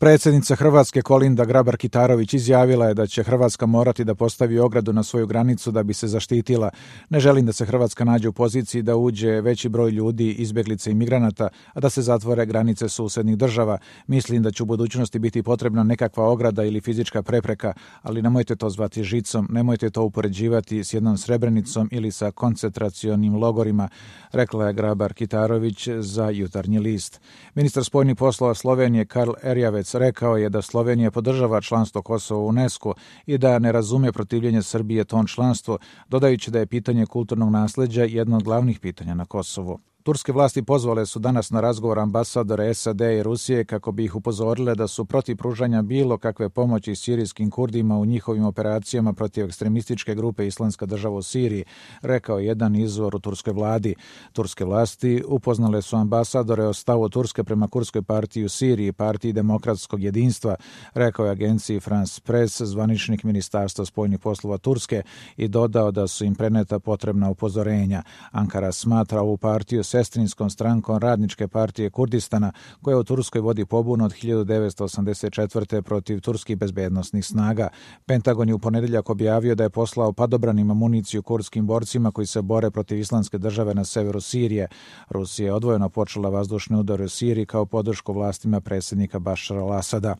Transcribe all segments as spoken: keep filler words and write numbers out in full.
Predsjednica Hrvatske Kolinda Grabar-Kitarović izjavila je da će Hrvatska morati da postavi ogradu na svoju granicu da bi se zaštitila. Ne želim da se Hrvatska nađe u poziciji da uđe veći broj ljudi, izbjeglica i migranata, a da se zatvore granice susednih država. Mislim da će u budućnosti biti potrebna nekakva ograda ili fizička prepreka, ali nemojte to zvati žicom, nemojte to upoređivati s jednom Srebrenicom ili sa koncentracionim logorima, rekla je Grabar-Kitarović za Jutarnji list. Ministar spoljnih poslova Slovenije Karl Erjavec rekao je da Slovenija podržava članstvo Kosova u UNESCO i da ne razume protivljenje Srbije tom članstvu, dodajući da je pitanje kulturnog nasleđa jedno od glavnih pitanja na Kosovu. Turske vlasti pozvale su danas na razgovor ambasadore S A D i Rusije kako bi ih upozorile da su protiv pružanja bilo kakve pomoći sirijskim Kurdima u njihovim operacijama protiv ekstremističke grupe Islamska država u Siriji, rekao je jedan izvor u turskoj vladi. Turske vlasti upoznale su ambasadore o stavu Turske prema Kurdskoj partiji u Siriji, partiji demokratskog jedinstva, rekao je agenciji France Press zvaničnik Ministarstva spoljnih poslova Turske i dodao da su im preneta potrebna upozorenja. Ankara smatra ovu partiju sestrinskom strankom Radničke partije Kurdistana, koja u Turskoj vodi pobunu od hiljadu devetsto osamdeset četvrte protiv turskih bezbednosnih snaga. Pentagon je u ponedjeljak objavio da je poslao padobranima municiju kurdskim borcima koji se bore protiv Islamske države na severu Sirije. Rusija je odvojeno počela vazdušne udare u Siriji kao podršku vlastima predsjednika Bašara al-Asada.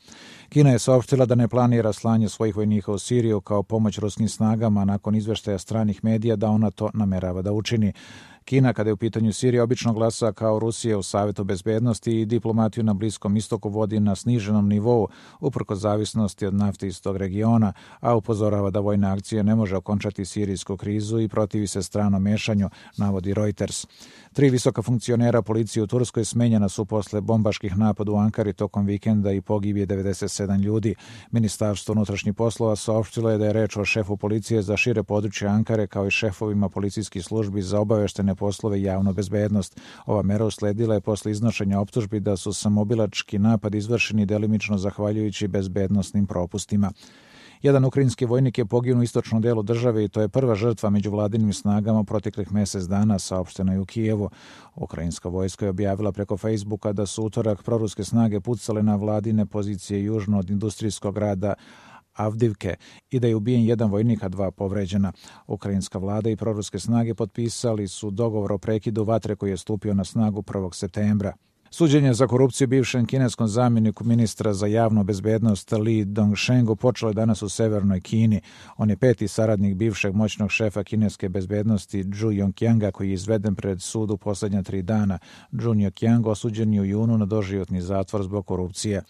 Kina je saopštila da ne planira slanje svojih vojnika u Siriju kao pomoć ruskim snagama nakon izveštaja stranih medija da ona to namerava da učini. Kina, kada je u pitanju Sirije, obično glasa kao Rusija u Savetu bezbednosti i diplomatiju na Bliskom istoku vodi na sniženom nivou, uprkos zavisnosti od nafte iz tog regiona, a upozorava da vojna akcija ne može okončati sirijsku krizu i protivi se stranom mešanju, navodi Reuters. Tri visoka funkcionera policije u Turskoj smenjena su posle bombaških napada u Ankari tokom vikenda i pogibije devedeset sedam ljudi. Ministarstvo unutrašnjih poslova saopštilo je da je reč o šefu policije za šire područje Ankare kao i šefovima policijskih službi za obaveštene poslove i javnu bezbednost. Ova mera usledila je posle iznošenja optužbi da su samobilački napad izvršeni delimično zahvaljujući bezbednosnim propustima. Jedan ukrajinski vojnik je poginuo u istočnom delu države i to je prva žrtva među vladinim snagama proteklih mjesec dana, saopšteno je u Kijevu. Ukrajinska vojska je objavila preko Facebooka da su utorak proruske snage pucale na vladine pozicije južno od industrijskog grada Avdivke i da je ubijen jedan vojnik, a dva povređena. Ukrajinska vlada i proruske snage potpisali su dogovor o prekidu vatre koji je stupio na snagu prvog septembra. Suđenje za korupciju bivšem kineskom zamjeniku ministra za javnu bezbednost Li Dongshengu počelo je danas u severnoj Kini. On je peti saradnik bivšeg moćnog šefa kineske bezbednosti Zhu Yongqianga koji je izveden pred sud u posljednja tri dana. Zhu Yongqiang osuđen je u junu na doživotni zatvor zbog korupcije.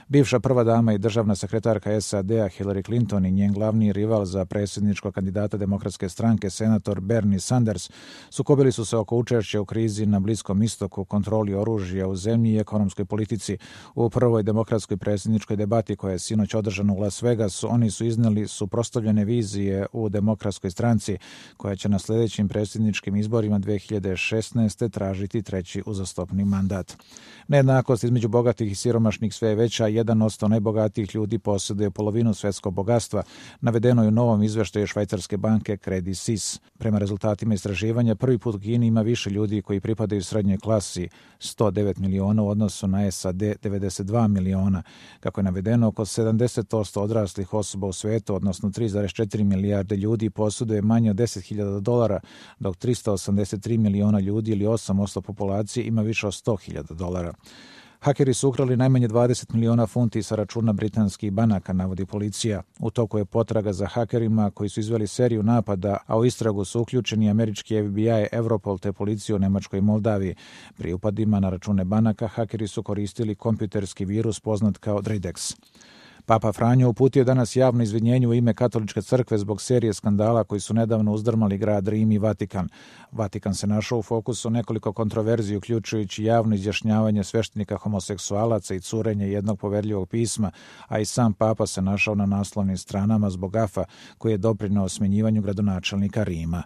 Bivša prva dama i državna sekretarka S A D-a Hillary Clinton i njen glavni rival za predsjedničkog kandidata demokratske stranke senator Bernie Sanders sukobili su se oko učešća u krizi na Bliskom istoku, kontroli oružja u zemlji i ekonomskoj politici. U prvoj demokratskoj predsjedničkoj debati koja je sinoć održana u Las Vegasu, oni su izneli suprotstavljene vizije u demokratskoj stranci koja će na sljedećim predsjedničkim izborima dve hiljade šesnaeste tražiti treći uzastopni mandat. Nejednakost između bogatih i siromašnih sve je veća, jedan odsto najbogatijih ljudi posjeduje polovinu svjetskog bogatstva, navedeno je u novom izveštaju švajcarske banke Credit Suisse. Prema rezultatima istraživanja, prvi put u Kini ima više ljudi koji pripadaju srednjoj klasi, sto devet miliona u odnosu na S A D devedeset dva miliona. Kako je navedeno, oko sedamdeset posto odraslih osoba u svijetu, odnosno tri zarez četiri milijarde ljudi, posjeduje manje od deset hiljada dolara, dok tristo osamdeset tri miliona ljudi ili osam posto populacije ima više od sto hiljada dolara. Hakeri su ukrali najmanje dvadeset miliona funti sa računa britanskih banaka, navodi policija. U toku je potraga za hakerima koji su izveli seriju napada, a u istragu su uključeni američki F B I, Europol te policiju u Nemačkoj i Moldaviji. Pri upadima na račune banaka hakeri su koristili kompjuterski virus poznat kao Dridex. Papa Franjo uputio danas javno izvinjenje u ime Katoličke crkve zbog serije skandala koji su nedavno uzdrmali grad Rim i Vatikan. Vatikan se našao u fokusu nekoliko kontroverziji, uključujući javno izjašnjavanje sveštenika homoseksualaca i curenje jednog poverljivog pisma, a i sam papa se našao na naslovnim stranama zbog gafa koji je doprineo smjenjivanju gradonačelnika Rima.